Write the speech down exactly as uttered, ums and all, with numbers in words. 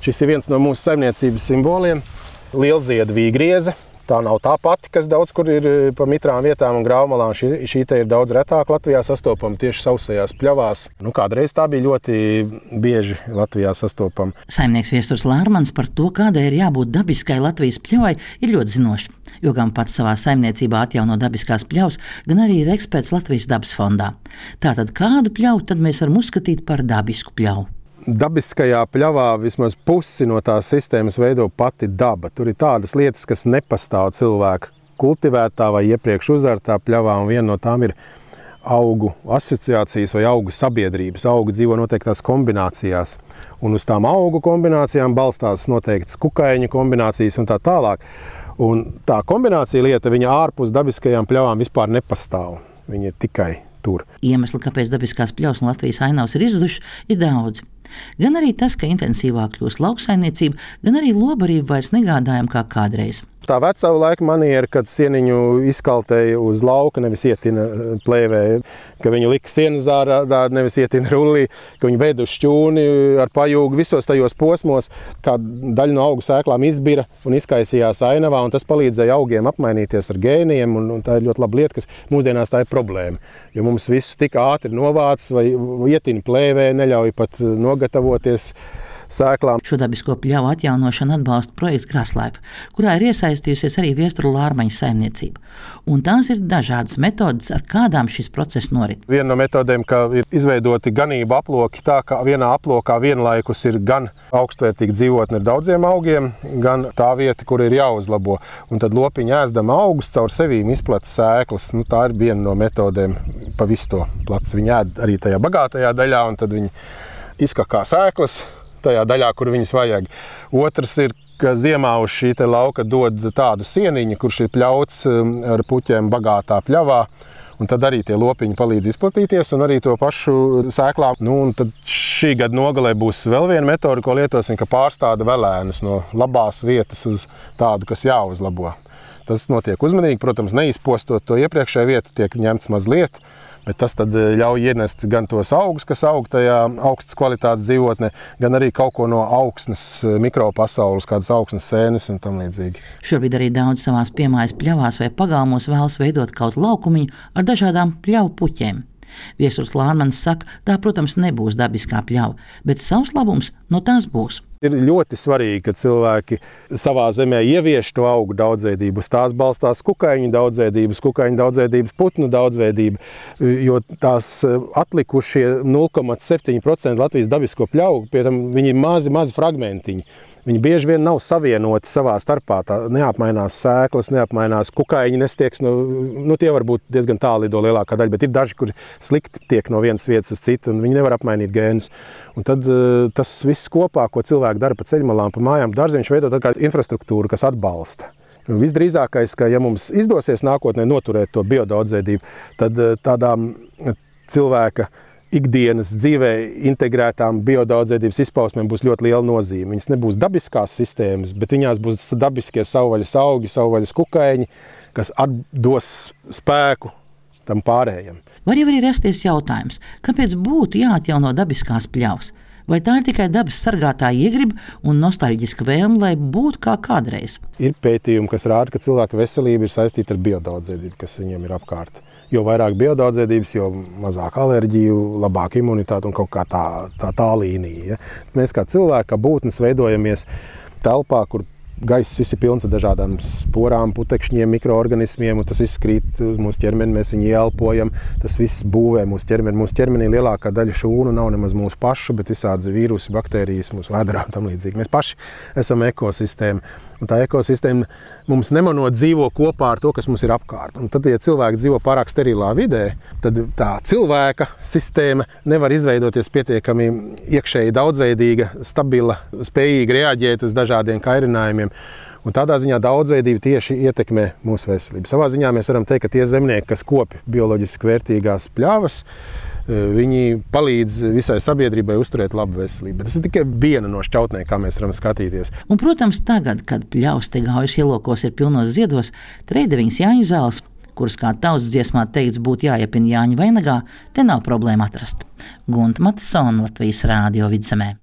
Šis ir viens no mūsu saimniecības simboliem – lielziedu vīgrieze. Tā nav tā pati, kas daudz kur ir pa mitrām vietām un graumalām. Šī, šī te ir daudz retāk Latvijā sastopama tieši sausajās pļavās. Nu, kādreiz tā bija ļoti bieži Latvijā sastopama. Saimnieks Viesturs Lārmans par to, kādai ir jābūt dabiskai Latvijas pļavai, ir ļoti zinošs. Jo gan pats savā saimniecībā atjauno dabiskās pļavas, gan arī ir eksperts Latvijas dabas fondā. Tātad kādu pļavu tad mēs varam uzskatīt par dabisku pļavu? Dabiskajā pļavā vismaz pusi no tās sistēmas veido pati daba. Tur ir tādas lietas, kas nepastāv cilvēka kultivētā vai iepriekš uzartā pļavā, un viena no tām ir augu asociācijas vai augu sabiedrības. Augi dzīvo noteiktās kombinācijās, un uz tām augu kombinācijām balstās noteiktas kukaiņu kombinācijas un tā tālāk. Un tā kombinācija lieta, viņa ārpus dabiskajām pļavām vispār nepastāv. Viņa ir tikai tur. Iemesli, kāpēc dabiskās pļavas un Latvijas ainavas ir izzudušas, ir daudzi. Gan arī tas, ka intensīvāk kļūst lauksaimniecība, gan arī lobarība vairs negādājam kā kādreiz. Tā vecā laika maniera, kad sieniņu izkaltēja uz lauka, nevis ietina plēvē, ka viņu lika sienas zārā, nevis ietina rullī, ka viņu veda uz šķūni ar pajūgu visos tajos posmos, kā daļa no augu sēklām izbira un izkaisījās ainavā, un tas palīdzēja augiem apmainīties ar gēniem, un, un tā ir ļoti laba lieta, kas mūsdienās tā ir problēma, jo mums visu tik ātri novāc vai ietina plēvē, neļauj pat nogatavoties sēklām. Šo dabisko pļavu atjaunošanu atbalsta projekts Graslaifa, kurā ir iesaistījusies arī Viesturu Lārmaņa saimniecība. Un tās ir dažādas metodes, ar kādām šis process norit. Viena no metodēm, ka ir izveidoti ganību aploki tā, ka vienā aplokā vienlaikus ir gan augstvērtīgi dzīvotne ar daudziem augiem, gan tā vieta, kur ir jāuzlabo. Un tad lopiņi ēzdama augus caur sevīm izplata sēklas. Nu, tā ir viena no metodēm pa visu to placu. Viņi ēd arī tajā bagātajā daļā, un tad viņi izkakā sēklas tajā daļā, kur viņas vajag. Otrs ir, ka ziemā uz šī te lauka dod tādu sieniņu, kurš ir pļauts ar puķiem bagātā pļavā, un tad arī tie lopiņi palīdz izplatīties, un arī to pašu sēklām. Nu, un tad šī gada nogalē būs vēl viena metode, ko lietosim, ka pārstāda velēnus no labās vietas uz tādu, kas jāuzlabo. Tas notiek uzmanīgi, protams, neizpostot to iepriekšēju vietu, tiek ņemts mazliet, bet tas tad ļauj ienest gan tos augus, kas aug tajā augstas kvalitātes dzīvotnē, gan arī kaut ko no augsnes mikropasaules, kādas augsnes sēnes un tam līdzīgi. Šobrīd arī daudz savās piemājas pļavās vai pagalmos vēlas veidot kaut laukumiņu ar dažādām pļavu puķēm. Viesturs Lārmans saka, tā, protams, nebūs dabiskā pļava, bet savs labums no tās būs. Ir ļoti svarīgi, ka cilvēki savā zemē ievieš to augu daudzveidību. Uz tās balstās kukaiņu daudzveidības, kukaiņu daudzveidības, putnu daudzveidība, jo tās atlikušie nulle komats septiņi procenti Latvijas dabisko pļauju, pie tam viņi ir mazi, mazi fragmentiņi. Viņi bieži vien nav savienoti savā starpā, tā neapmainās sēklas, neapmainās kukaiņi, nestieks, nu, nu tie var būt diezgan tālu lido lielākā daļa, bet ir daži, kuri slikti tiek no vienas vietas uz citu, un viņi nevar apmainīt gēnus. Un tad tas viss kopā, ko cilvēki dara pa ceļmalām, pa mājām, dārziņš veido tā kā infrastruktūru, kas atbalsta. Visdrīzākais, ka ja mums izdosies nākotnē noturēt to biodaudzveidību, tad tādām cilvēka ikdienas dzīvē integrētām biodaudzveidības izpausmēm būs ļoti liela nozīme. Viņas nebūs dabiskās sistēmas, bet viņās būs dabiskie savvaļas augi, savvaļas kukaiņi, kas atdos spēku tam pārējiem. Var jau arī rasties jautājums, kāpēc būtu jāatjauno dabiskās pļavas? Vai tā ir tikai dabas sargātāja iegriba un nostalģiska vēlme, lai būtu kā kādreiz? Ir pētījumi, kas rāda, ka cilvēka veselība ir saistīta ar biodaudzveidību, kas viņiem ir apkārt. Jo vairāk biodaudzveidības, jo mazāk alerģiju, labāk imunitāte un kaut kā tā, tā, tā līnija. Ja? Mēs kā cilvēki, kā būtnes veidojamies telpā, kur gaiss viss ir pilns ar dažādām sporām, putekšņiem, mikroorganismiem, un tas viss krīt uz mūsu ķermeni, mēs viņu ieelpojam, tas viss būvē mūsu ķermeni. Mūsu ķermenī lielākā daļa šūnu nav nemaz mūsu pašu, bet visādi vīrusi, baktērijas, mūsu vēderā un tam līdzīgi. Mēs paši esam ekosistēma, un tā ekosistēma mums nemanot dzīvo kopā ar to, kas mums ir apkārt. Un tad, ja cilvēki dzīvo pārāk sterilā vidē, tad tā cilvēka sistēma nevar izveidoties pietiekami iekšēji daudzveidīga, stabila, spējīga reaģēt uz dažādiem kairinājumiem. Un tādā ziņā daudzveidība tieši ietekmē mūsu veselību. Savā ziņā mēs varam teikt, ka tie zemnieki, kas kopi bioloģiski vērtīgās pļavas, viņi palīdz visai sabiedrībai uzturēt labu veselību. Tas ir tikai viena no šķautnēm, kā mēs varam skatīties. Un, protams, tagad, kad pļavas te gaujas ielokos ir pilnos ziedos, treideviņas Jāņu zāles, kuras kā tautas dziesmā teikts būtu jāiepina Jāņu vainagā, te nav problēma atrast. Gunta Matisona, Latvijas Rādio Vidzemē.